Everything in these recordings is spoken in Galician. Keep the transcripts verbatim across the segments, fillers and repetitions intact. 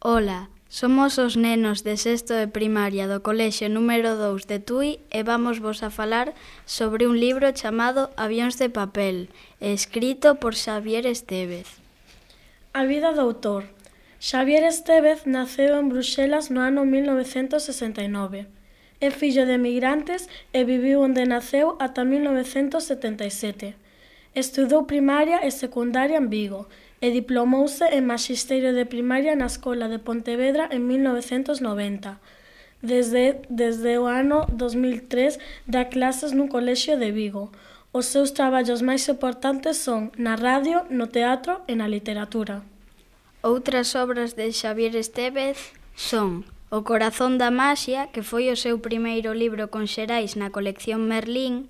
Ola, somos os nenos de sexto de primaria do colexio número dous de Tui e vamos vos a falar sobre un libro chamado Avións de papel, escrito por Xavier Estévez. A vida do autor. Xavier Estévez naceu en Bruxelas no ano mil novecentos sesenta e nove. É fillo de emigrantes e viviu onde naceu ata mil novecentos setenta e sete. Estudou primaria e secundaria en Vigo e diplomouse en Maxisterio de Primaria na Escola de Pontevedra en mil novecentos noventa. Desde, desde o ano dos mil tres dá clases nun colexio de Vigo. Os seus traballos máis importantes son na radio, no teatro e na literatura. Outras obras de Xavier Estévez son O corazón da maxia, que foi o seu primeiro libro con xerais na colección Merlín,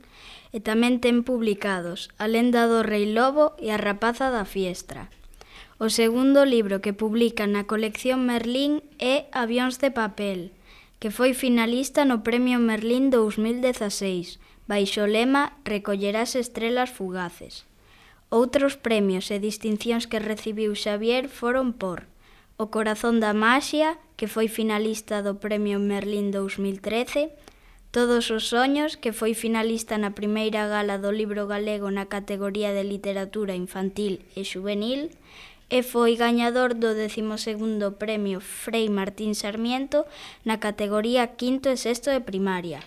e tamén ten publicados A lenda do rei lobo e A rapaza da fiestra. O segundo libro que publica na colección Merlín é Avións de papel, que foi finalista no Premio Merlín dous mil dezaseis, baixo o lema Recollerás estrelas fugaces. Outros premios e distincións que recibiu Xavier foron por O corazón da maxia, que foi finalista do Premio Merlín dous mil trece, Todos os soños, que foi finalista na primeira gala do libro galego na categoría de literatura infantil e xuvenil, e foi gañador do décimo segundo Premio Frei Martín Sarmiento na categoría quinto e sexto de primaria.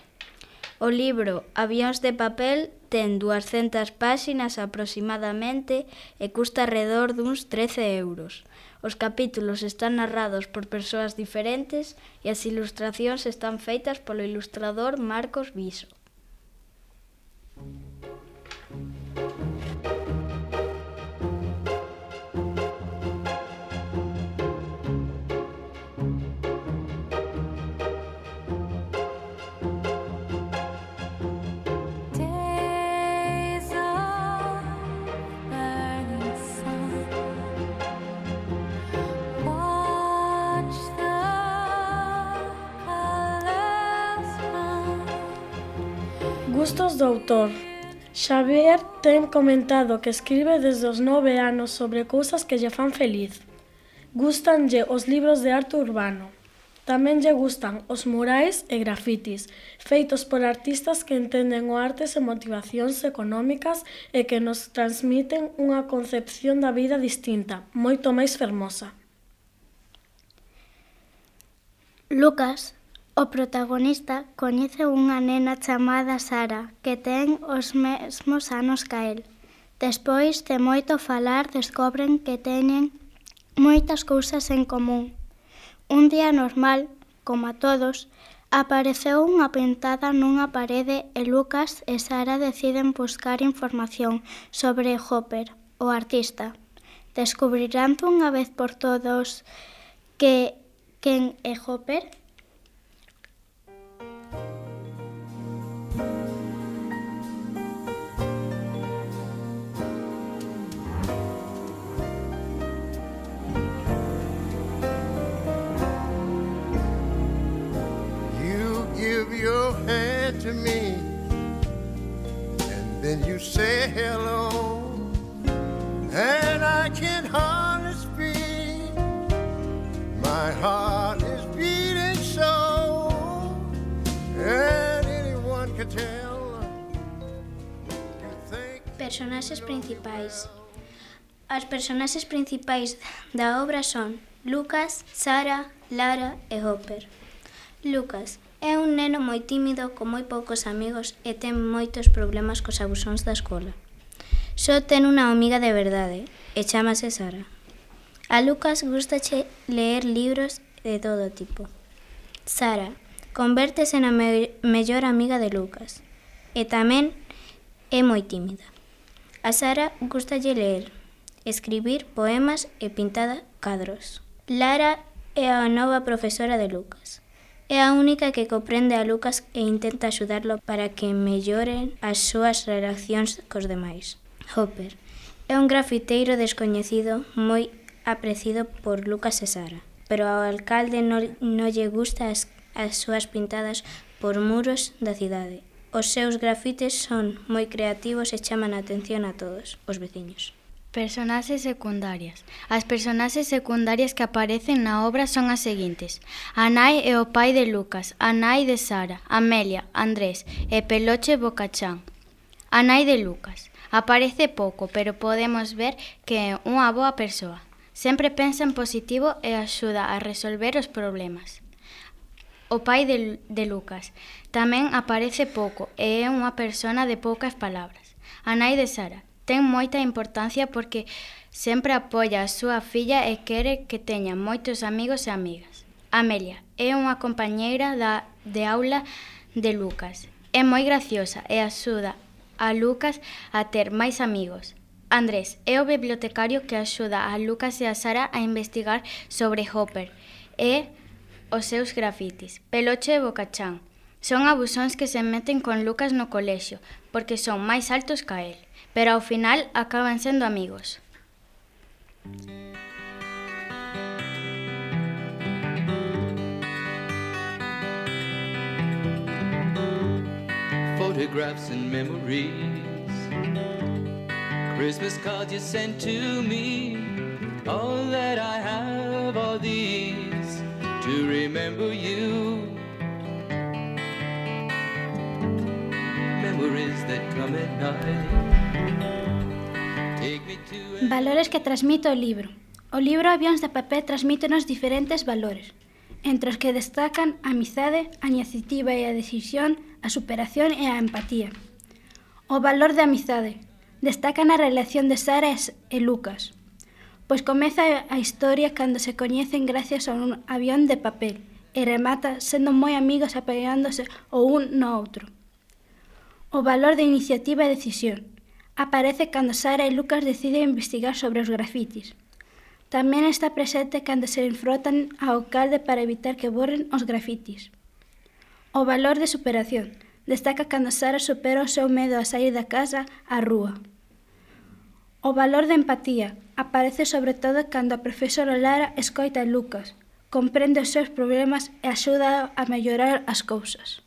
O libro Avións de papel ten duascentas páxinas aproximadamente e custa arredor duns trece euros. Os capítulos están narrados por persoas diferentes e as ilustracións están feitas polo ilustrador Marcos Viso. Gustos do autor. Xavier ten comentado que escribe desde os nove anos sobre cousas que lle fan feliz. Gústanlle os libros de arte urbano. Tamén lle gustan os murais e grafitis, feitos por artistas que entenden o arte sen motivacións económicas e que nos transmiten unha concepción da vida distinta, moito máis fermosa. Lucas, o protagonista, coñece unha nena chamada Sara, que ten os mesmos anos ca el. Despois de moito falar, descobren que teñen moitas cousas en común. Un día normal, como a todos, apareceu unha pintada nunha parede e Lucas e Sara deciden buscar información sobre Hopper, o artista. Descubrirán dunha vez por todos que quen é Hopper? Your hand to me, and then you say hello, and I can hardly speak. My heart is beating so, and anyone can tell. You think... Personaxes principais. As personaxes principais da obra son Lucas, Sara, Lara e Hopper. Lucas é un neno moi tímido, con moi poucos amigos e ten moitos problemas cos abusóns da escola. Só ten unha amiga de verdade e chámase Sara. A Lucas gústache ler libros de todo tipo. Sara convértese na me- mellor amiga de Lucas e tamén é moi tímida. A Sara gústalle ler, escribir poemas e pintar cadros. Lara é a nova profesora de Lucas. É a única que comprende a Lucas e intenta axudarlo para que melloren as súas relacións cos demais. Hopper é un grafiteiro descoñecido moi apreciado por Lucas e Sara, pero ao alcalde non, non lle gusta as, as súas pintadas por muros da cidade. Os seus grafites son moi creativos e chaman a atención a todos os veciños. Personaxes secundarias. As personaxes secundarias que aparecen na obra son as seguintes: a nai e o pai de Lucas, a nai de Sara, Amelia, Andrés e Peloche Bocachán. A nai de Lucas aparece pouco, pero podemos ver que é unha boa persoa. Sempre pensa en positivo e axuda a resolver os problemas. O pai de, de Lucas tamén aparece pouco e é unha persona de poucas palabras. A nai de Sara ten moita importancia porque sempre apoia a súa filla e quere que teña moitos amigos e amigas. Amelia é unha compañeira da, de aula de Lucas. É moi graciosa e axuda a Lucas a ter máis amigos. Andrés é o bibliotecario que axuda a Lucas e a Sara a investigar sobre Hopper e os seus grafitis. Peloche e Bocachán son abusóns que se meten con Lucas no colexio porque son máis altos ca el, pero ao final acaban sendo amigos. Photographs and memories, Christmas cards you sent to me, all that I have are these to remember you. Memories that come at night. Valores que transmite o libro. O libro Avións de papel transmítenos diferentes valores, entre os que destacan a amizade, a iniciativa e a decisión, a superación e a empatía. O valor de amizade. Destaca na relación de Sara e Lucas, pois comeza a historia cando se coñecen gracias a un avión de papel e remata sendo moi amigos apoiándose o un no outro. O valor de iniciativa e decisión. Aparece cando Sara e Lucas deciden investigar sobre os grafitis. Tamén está presente cando se enfrontan ao alcalde para evitar que borren os grafitis. O valor de superación. Destaca cando Sara supera o seu medo a sair da casa á rúa. O valor de empatía. Aparece sobre todo cando a profesora Lara escoita a Lucas, comprende os seus problemas e axuda a mellorar as cousas.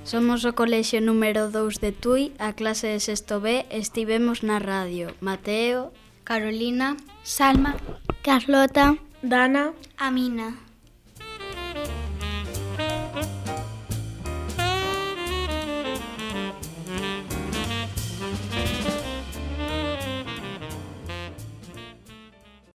Somos o colexio número dous de Tui, a clase de sexto B, estivemos na radio. Mateo, Carolina, Salma, Carlota, Dana, Amina.